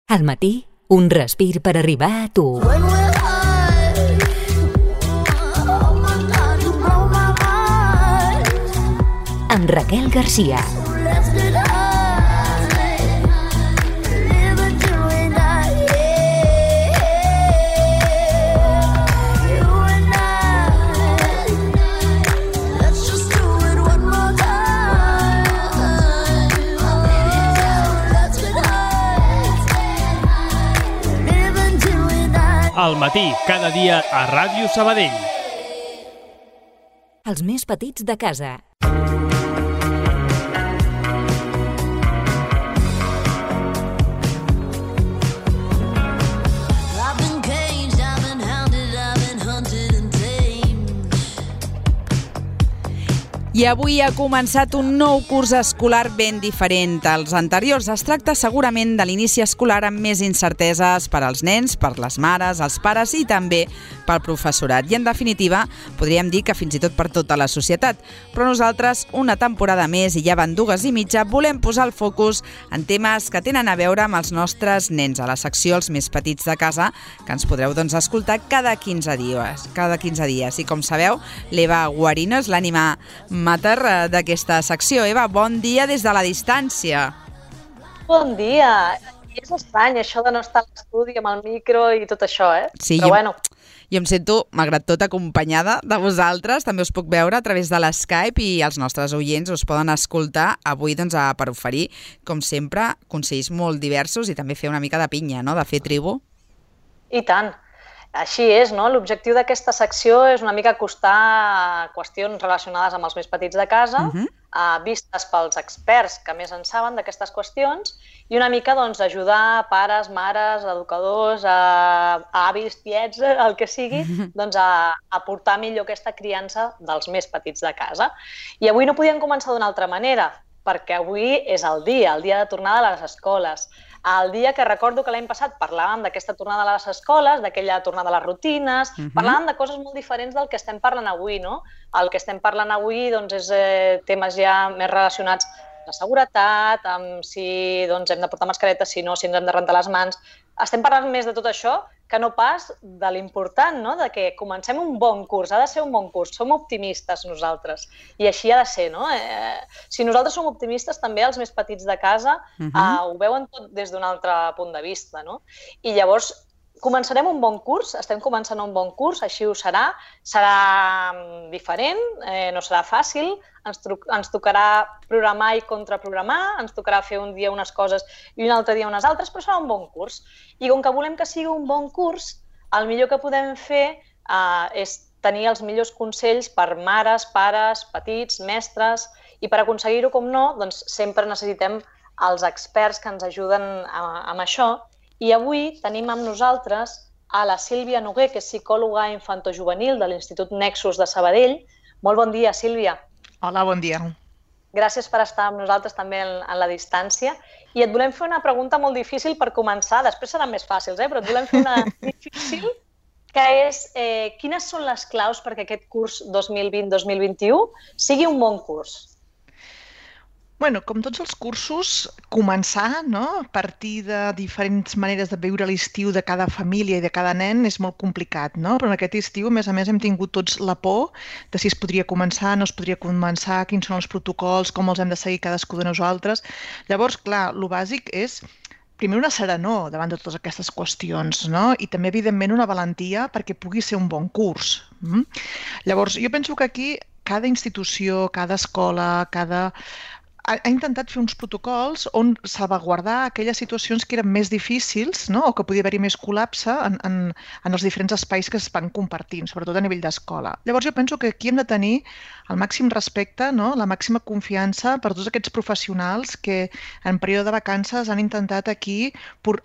Al matí, un respir per arribar a tu. Amb Raquel Garcia. Al matí, cada dia a Ràdio Sabadell. Els més petits de casa. I avui ha començat un nou curs escolar ben diferent als anteriors. Es tracta segurament de l'inici escolar amb més incerteses per als nens, per les mares, els pares i també pel professorat. I en definitiva, podríem dir que fins i tot per tota la societat. Però nosaltres, una temporada més i ja van 2.5, volem posar el focus en temes que tenen a veure amb els nostres nens, a la secció Els més petits de casa, que ens podreu escoltar cada 15 dies. I com sabeu, l'Eva Guarino és l'ànima mater d'aquesta secció. Eva, bon dia des de la distància. Bon dia. És estrany això de no estar a l'estudi amb el micro i tot això, Sí, però bueno. Jo em sento, malgrat tot, acompanyada de vosaltres. També us puc veure a través de l'Skype i els nostres oients us poden escoltar avui per oferir, com sempre, consells molt diversos i també fer una mica de pinya, no?, de fer tribu. I tant. Així és, no? L'objectiu d'aquesta secció és una mica acostar qüestions relacionades amb els més petits de casa, vistes pels experts que més en saben d'aquestes qüestions, i una mica ajudar pares, mares, educadors, avis, tiets, el que sigui, a portar millor aquesta criança dels més petits de casa. I avui no podíem començar d'una altra manera, perquè avui és el dia de tornada a les escoles. El dia que recordo que l'any passat parlàvem d'aquesta tornada a les escoles, d'aquella tornada a les rutines, parlàvem de coses molt diferents del que estem parlant avui, no? El que estem parlant avui és temes ja més relacionats amb la seguretat, amb si hem de portar mascareta, si no, si ens hem de rentar les mans. Estem parlant més de tot això que no pas de l'important, no?, de que comencem un bon curs, ha de ser un bon curs, som optimistes nosaltres, i així ha de ser, no? Si nosaltres som optimistes, també els més petits de casa ho veuen tot des d'un altre punt de vista, no? I llavors començarem un bon curs, estem començant un bon curs, així ho serà diferent, no serà fàcil, ens tocarà programar i contraprogramar, ens tocarà fer un dia unes coses i un altre dia unes altres, però serà un bon curs. I com que volem que sigui un bon curs, el millor que podem fer és tenir els millors consells per mares, pares, petits, mestres, i per aconseguir-ho, com no, sempre necessitem els experts que ens ajuden amb això. I avui tenim amb nosaltres a la Sílvia Noguer, que és psicòloga infantojuvenil de l'Institut Nexus de Sabadell. Molt bon dia, Sílvia. Hola, bon dia. Gràcies per estar amb nosaltres també en la distància. I et volem fer una pregunta molt difícil per començar. Després seran més fàcils, però et volem fer una difícil, que és quines són les claus perquè aquest curs 2020-2021 sigui un bon curs? Bueno, com tots els cursos, començar, no?, a partir de diferents maneres de viure l'estiu de cada família i de cada nen és molt complicat, no? Però en aquest estiu, a més, hem tingut tots la por de si es podria començar, no es podria començar, quins són els protocols, com els hem de seguir cadascú de nosaltres. Llavors, clar, el bàsic és primer una serenor davant de totes aquestes qüestions, no? I també, evidentment, una valentia perquè pugui ser un bon curs. Llavors, jo penso que aquí cada institució, cada escola, ha intentat fer uns protocols on salvaguardar aquelles situacions que eren més difícils, no?, o que podia haver-hi més col·lapse en els diferents espais que es van compartint, sobretot a nivell d'escola. Llavors jo penso que aquí hem de tenir el màxim respecte, no?, la màxima confiança per tots aquests professionals que en període de vacances han intentat aquí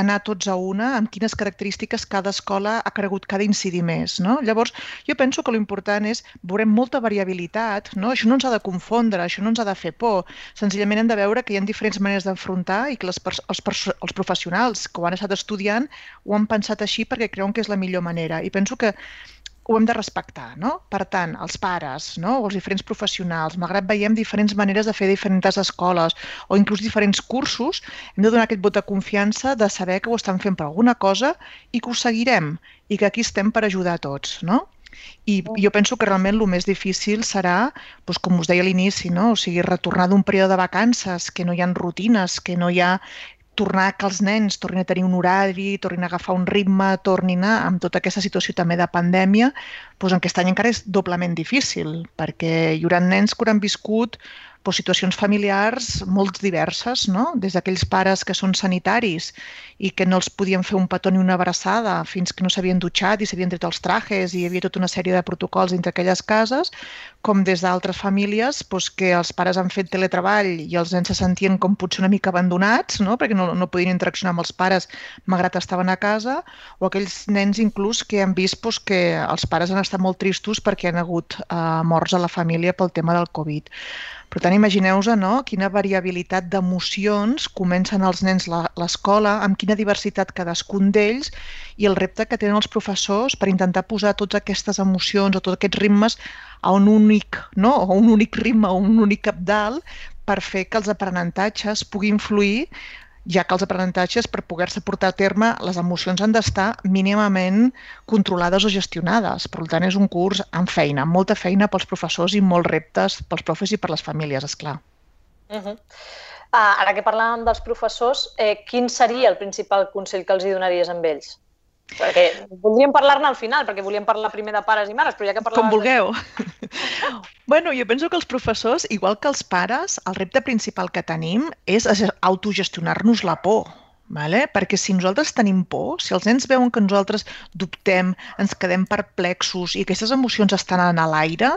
anar tots a una amb quines característiques cada escola ha cregut que ha d'incidir més, no? Llavors jo penso que l'important és veurem molta variabilitat, no? Això no ens ha de confondre, això no ens ha de fer por. Senzillament hem de veure que hi ha diferents maneres d'enfrontar i que els professionals que ho han estat estudiant ho han pensat així perquè creuen que és la millor manera. I penso que ho hem de respectar, no? Per tant, els pares, no? O els diferents professionals, malgrat veiem diferents maneres de fer diferents escoles o inclús diferents cursos, hem de donar aquest vot de confiança de saber que ho estan fent per alguna cosa i que ho seguirem i que aquí estem per ajudar a tots, no? I jo penso que realment el més difícil serà, doncs, com us deia a l'inici, no? O sigui, retornar d'un període de vacances, que no hi ha rutines, que no hi ha tornar que els nens tornin a tenir un horari, tornin a agafar un ritme, tornin a, amb tota aquesta situació també de pandèmia, doncs aquest any encara és doblement difícil, perquè hi haurà nens que hauran viscut situacions familiars molt diverses, no? Des d'aquells pares que són sanitaris i que no els podien fer un petó ni una abraçada fins que no s'havien dutxat i s'havien tret els trajes i hi havia tota una sèrie de protocols dintre aquelles cases, com des d'altres famílies que els pares han fet teletreball i els nens se sentien com potser una mica abandonats, no? Perquè no podien interaccionar amb els pares malgrat estaven a casa, o aquells nens inclús que han vist que els pares han estat molt tristos perquè han hagut morts a la família pel tema del Covid. Per tant, imagineu-vos, no?, quina variabilitat d'emocions comencen els nens l'escola, amb quina diversitat cadascun d'ells i el repte que tenen els professors per intentar posar totes aquestes emocions o tots aquests ritmes a un únic, no?, o un únic ritme o un únic cabdal per fer que els aprenentatges puguin fluir, ja que els aprenentatges, per poder-se portar a terme, les emocions han d'estar mínimament controlades o gestionades. Per tant, és un curs amb feina, amb molta feina pels professors i molts reptes pels profes i per les famílies, esclar. Ara que parlàvem dels professors, quin seria el principal consell que els hi donaries amb ells? Perquè voldríem parlar-ne al final, perquè volíem parlar primer de pares i mares, però ja que parlaves... Com vulgueu. Bueno, jo penso que els professors, igual que els pares, el repte principal que tenim és autogestionar-nos la por. Perquè si nosaltres tenim por, si els nens veuen que nosaltres dubtem, ens quedem perplexos i aquestes emocions estan en l'aire,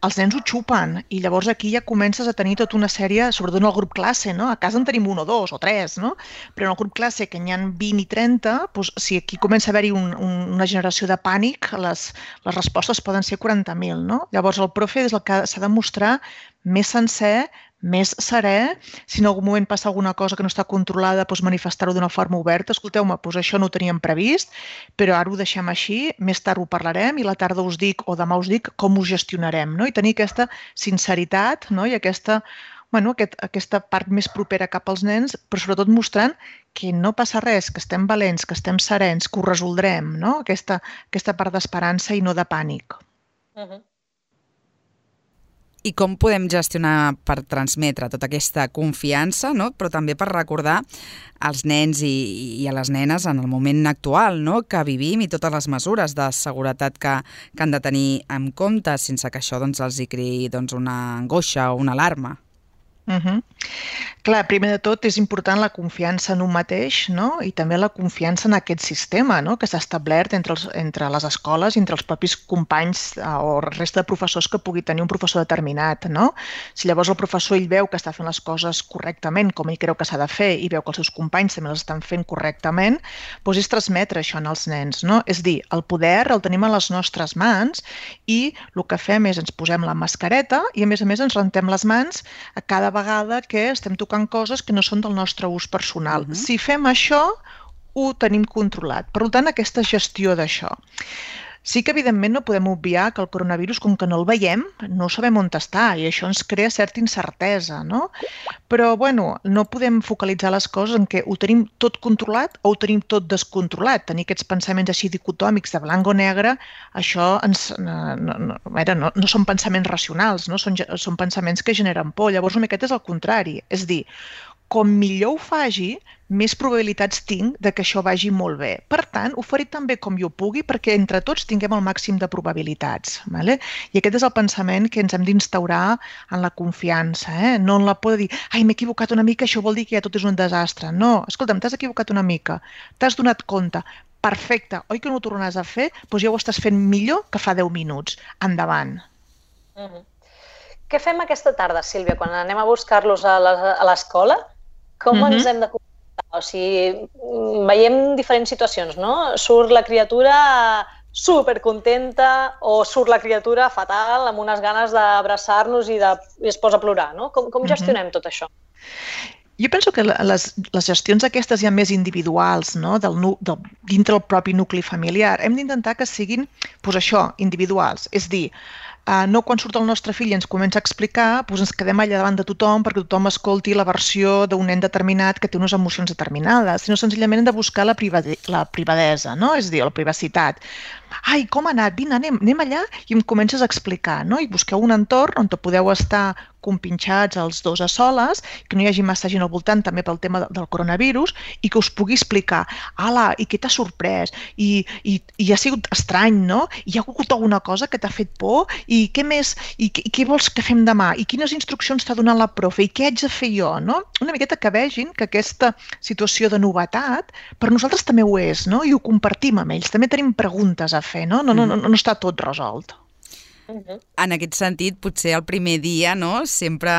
els nens ho xupen i llavors aquí ja comences a tenir tota una sèrie, sobretot en el grup classe, no? A casa en tenim 1 o 2 o 3, no? Però en el grup classe, que n'hi ha 20 i 30, doncs, si aquí comença a haver-hi una generació de pànic, les respostes poden ser 40.000, no? Llavors el profe és el que s'ha de mostrar més sencer, més serè, si en algun moment passa alguna cosa que no està controlada, doncs manifestar-ho d'una forma oberta. Escolteu-me, doncs això no ho teníem previst, però ara ho deixem així, més tard ho parlarem i la tarda us dic o demà us dic com ho gestionarem, no? I tenir aquesta sinceritat, no? I aquesta part més propera cap als nens, però sobretot mostrant que no passa res, que estem valents, que estem serens, que ho resoldrem, no? Aquesta part d'esperança i no de pànic. I com podem gestionar per transmetre tota aquesta confiança, no? Però també per recordar als nens i a les nenes en el moment actual, no?, que vivim i totes les mesures de seguretat que han de tenir en compte sense que això els hi creï una angoixa o una alarma. Clar, primer de tot és important la confiança en un mateix, no? I també la confiança en aquest sistema, no?, que s'ha establert entre les escoles i entre els propis companys o resta de professors que pugui tenir un professor determinat, no? Si llavors el professor ell veu que està fent les coses correctament, com ell creu que s'ha de fer, i veu que els seus companys també les estan fent correctament, doncs és transmetre això als nens, no? És dir, el poder el tenim a les nostres mans i el que fem és ens posem la mascareta i a més ens rentem les mans a cada vegada que estem tocant coses que no són del nostre ús personal. Si fem això, ho tenim controlat. Per tant, aquesta gestió d'això. Sí que, evidentment, no podem obviar que el coronavirus, com que no el veiem, no sabem on està i això ens crea certa incertesa, no? Però, no podem focalitzar les coses en què ho tenim tot controlat o ho tenim tot descontrolat. Tenir aquests pensaments així dicotòmics de blanc o negre, això no són pensaments racionals, no? Són pensaments que generen por. Llavors, una miqueta és el contrari. És dir, com millor ho faci, més probabilitats tinc de que això vagi molt bé. Per tant, ho faré tan bé com jo pugui perquè entre tots tinguem el màxim de probabilitats. I aquest és el pensament que ens hem d'instaurar en la confiança. No en la por de dir, ai, m'he equivocat una mica, això vol dir que ja tot és un desastre. No, escolta'm, t'has equivocat una mica, t'has donat compte, perfecte, oi que no ho tornaràs a fer? Doncs ja ho estàs fent millor que fa 10 minuts. Endavant. Què fem aquesta tarda, Sílvia, quan anem a buscar-los a l'escola? Com ens hem de comportar? O sigui, veiem diferents situacions, no? Surt la criatura supercontenta o surt la criatura fatal amb unes ganes d'abraçar-nos i es posa a plorar, no? Com gestionem tot això? Jo penso que les gestions aquestes ja més individuals, no? dintre el propi nucli familiar. Hem d'intentar que siguin, doncs això, individuals. És dir, no quan surt el nostre fill i ens comença a explicar, doncs ens quedem allà davant de tothom perquè tothom escolti la versió d'un nen determinat que té unes emocions determinades, sinó senzillament hem de buscar la privadesa, no? És a dir, la privacitat. Ai, com ha anat? Vine, anem allà i em comences a explicar, no? I busqueu un entorn on podeu estar compinxats els dos a soles, que no hi hagi massa gent al voltant també pel tema del coronavirus i que us pugui explicar, ala, i què t'ha sorprès? I ha sigut estrany, no? Hi ha hagut alguna cosa que t'ha fet por? I què més? I què vols que fem demà? I quines instruccions t'ha donat la profe? I què haig de fer jo? No? Una miqueta que vegin que aquesta situació de novetat per nosaltres també ho és, no? I ho compartim amb ells. També tenim preguntes a fer, no? No està tot resolt. En aquest sentit, potser el primer dia, no, sempre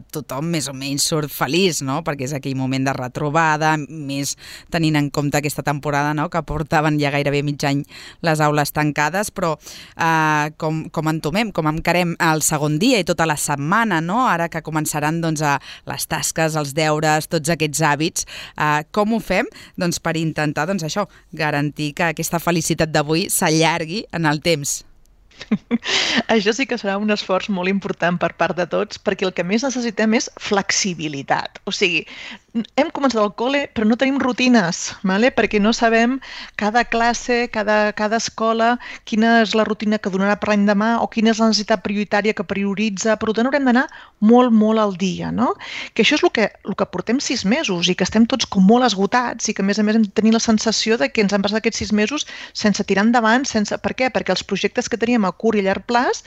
tothom més o menys surt feliç, no? Perquè és aquell moment de retrobada, més tenint en compte aquesta temporada, no? Que portaven ja gairebé mig any les aules tancades, però com entomem, com encarem el segon dia i tota la setmana, no? Ara que començaran doncs, les tasques, els deures, tots aquests hàbits, com ho fem? Doncs per intentar això, garantir que aquesta felicitat d'avui s'allargui en el temps. Això sí que serà un esforç molt important per part de tots, perquè el que més necessitem és flexibilitat. O sigui, hem començat el col·le però no tenim rutines, perquè no sabem cada classe, cada escola, quina és la rutina que donarà per l'endemà o quina és la necessitat prioritària que prioritza. Per tant, haurem d'anar molt al dia, no? Que això és el que portem 6 mesos i que estem tots com molt esgotats i que a més hem de tenir la sensació de que ens han passat aquests 6 mesos sense tirar endavant. Per què? Perquè els projectes que teníem a curt i a llarg plaç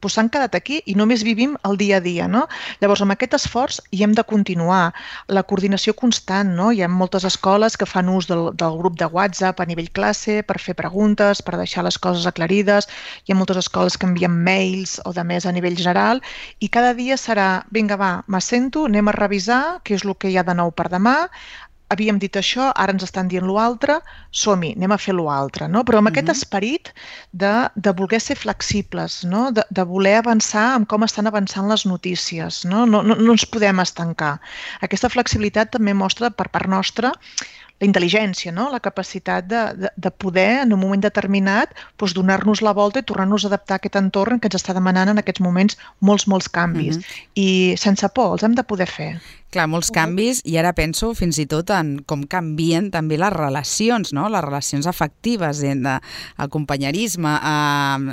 s'han quedat aquí i només vivim el dia a dia, no? Llavors, amb aquest esforç hi hem de continuar. La coordinació constant, no? Hi ha moltes escoles que fan ús del grup de WhatsApp a nivell classe per fer preguntes, per deixar les coses aclarides. Hi ha moltes escoles que envien mails o de més a nivell general i cada dia serà, vinga, va, m'assento, anem a revisar què és el que hi ha de nou per demà. Havíem dit això, ara ens estan dient l'altre, som-hi, anem a fer l'altre, no? Però amb aquest esperit de voler ser flexibles, no? De voler avançar en com estan avançant les notícies, no? No ens podem estancar. Aquesta flexibilitat també mostra per part nostra la intel·ligència, no? La capacitat de poder, en un moment determinat, donar-nos la volta i tornar-nos a adaptar a aquest entorn que ens està demanant en aquests moments molts canvis. I sense por, els hem de poder fer. Clar, molts canvis, i ara penso fins i tot en com canvien també les relacions, no? Les relacions afectives, el companyerisme.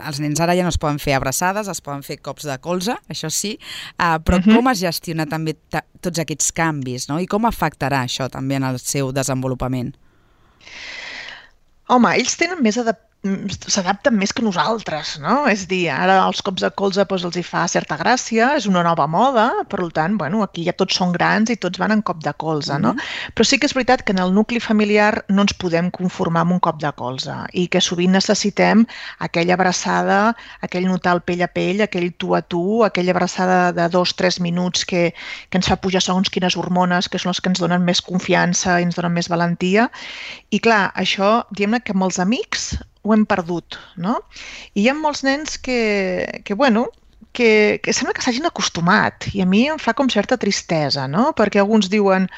Els nens ara ja no es poden fer abraçades, es poden fer cops de colze, això sí, però com es gestiona també tots aquests canvis, no? I com afectarà això també en el seu desenvolupament? Home, ells tenen s'adapten més que nosaltres, no? És a dir, ara els cops de colze els hi fa certa gràcia, és una nova moda, per tant, aquí ja tots són grans i tots van en cop de colze, no? Però sí que és veritat que en el nucli familiar no ens podem conformar amb un cop de colze i que sovint necessitem aquella abraçada, aquell notar el pell a pell, aquell tu a tu, aquella abraçada de 2-3 minuts que ens fa pujar segons quines hormones, que són les que ens donen més confiança i ens donen més valentia. I clar, això, diguem-ne que amb els amics ho hem perdut, no? I hi ha molts nens que sembla que s'hagin acostumat i a mi em fa com certa tristesa, no? Perquè alguns diuen,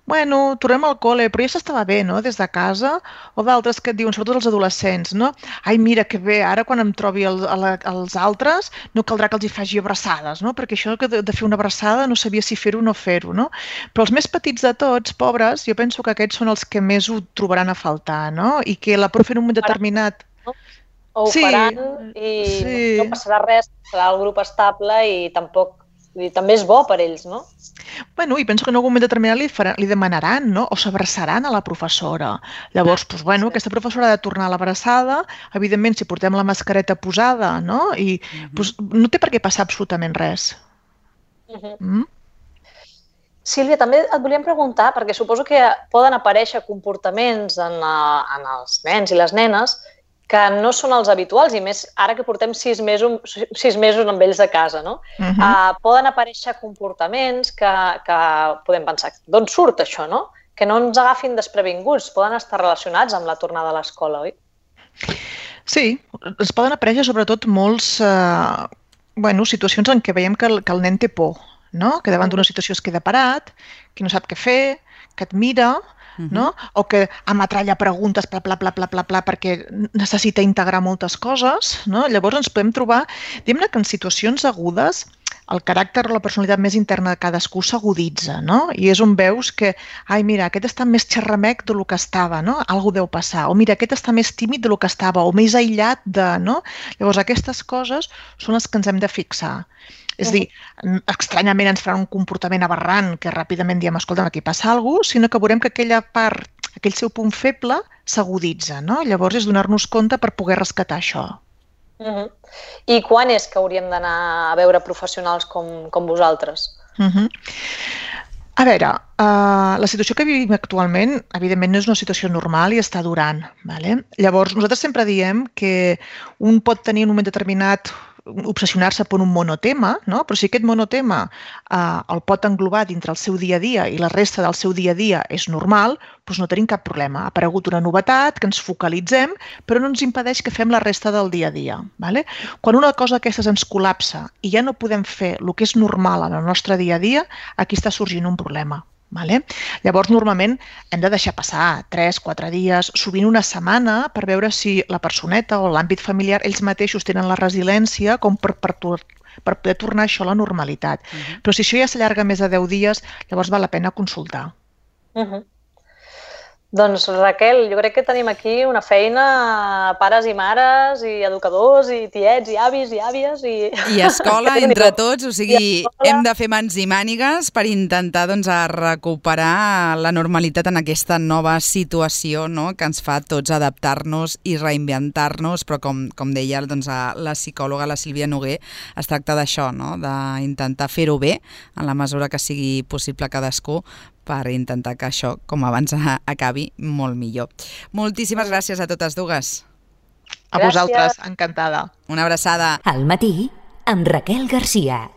tornem al col·le, però ja s'estava bé, no?, des de casa, o d'altres que et diuen, sobretot els adolescents, no? Ai, mira, que bé, ara quan em trobi els altres no caldrà que els hi faci abraçades, no? Perquè això de fer una abraçada no sabia si fer-ho o no fer-ho, no? Però els més petits de tots, pobres, jo penso que aquests són els que més ho trobaran a faltar, no? I que la profe en un moment determinat... O ho faran i no passarà res, serà el grup estable i tampoc... també és bo per ells, no? I penso que en algun moment determinat li demanaran, no? O s'abraçaran a la professora. Llavors, aquesta professora ha de tornar a l'abraçada, evidentment, si portem la mascareta posada, no? I no té per què passar absolutament res. Sílvia, també et volíem preguntar, perquè suposo que poden aparèixer comportaments en els nens i les nenes que no són els habituals, i més ara que portem 6 mesos amb ells de casa, no? Poden aparèixer comportaments que podem pensar, d'on surt això, no? Que no ens agafin desprevinguts, poden estar relacionats amb la tornada a l'escola, oi? Sí, ens poden aparèixer sobretot molts situacions en què veiem que el nen té por, no? Que davant d'una situació es queda parat, que no sap què fer, que et mira, no? O que ametralla preguntes, bla, bla, bla, bla, bla, bla, perquè necessita integrar moltes coses, no? Llavors ens podem trobar, diguem-ne que en situacions agudes el caràcter o la personalitat més interna de cadascú s'aguditza, no? I és on veus que, ai, mira, aquest està més xerramec del que estava, no? Algú deu passar. O mira, aquest està més tímid del que estava, o més aïllat de, no? Llavors, aquestes coses són les que ens hem de fixar. És a dir, estranyament ens faran un comportament aberrant que ràpidament diem, escolta, aquí passa alguna cosa, sinó que veurem que aquella part, aquell seu punt feble s'aguditza, no? Llavors és donar-nos compte per poder rescatar això. I quan és que hauríem d'anar a veure professionals com vosaltres? A veure, la situació que vivim actualment, evidentment, no és una situació normal i està durant. Vale? Llavors, nosaltres sempre diem que un pot tenir en un moment determinat obsessionar-se per un monotema, no? Però si aquest monotema el pot englobar dintre el seu dia a dia i la resta del seu dia a dia és normal, doncs no tenim cap problema. Ha aparegut una novetat, que ens focalitzem, però no ens impedeix que fem la resta del dia a dia. Vale? Quan una cosa d'aquestes ens col·lapsa i ja no podem fer el que és normal en el nostre dia a dia, aquí està sorgint un problema. Vale? Llavors, normalment, hem de deixar passar 3-4 dies, sovint una setmana, per veure si la personeta o l'àmbit familiar, ells mateixos tenen la resiliència com per poder tornar això a la normalitat. Però si això ja s'allarga més de 10 dies, llavors val la pena consultar. Doncs, Raquel, jo crec que tenim aquí una feina a pares i mares, i educadors, i tiets, i avis, i àvies, i escola entre tots, o sigui, hem de fer mans i mànigues per intentar doncs, recuperar la normalitat en aquesta nova situació, no?, que ens fa tots adaptar-nos i reinventar-nos, però com deia doncs, la psicòloga, la Sílvia Noguer, es tracta d'això, no?, d'intentar fer-ho bé en la mesura que sigui possible cadascú, per intentar que això, com abans, acabi molt millor. Moltíssimes gràcies a totes dues. A vosaltres, encantada. Una abraçada. Al matí, amb Raquel Garcia.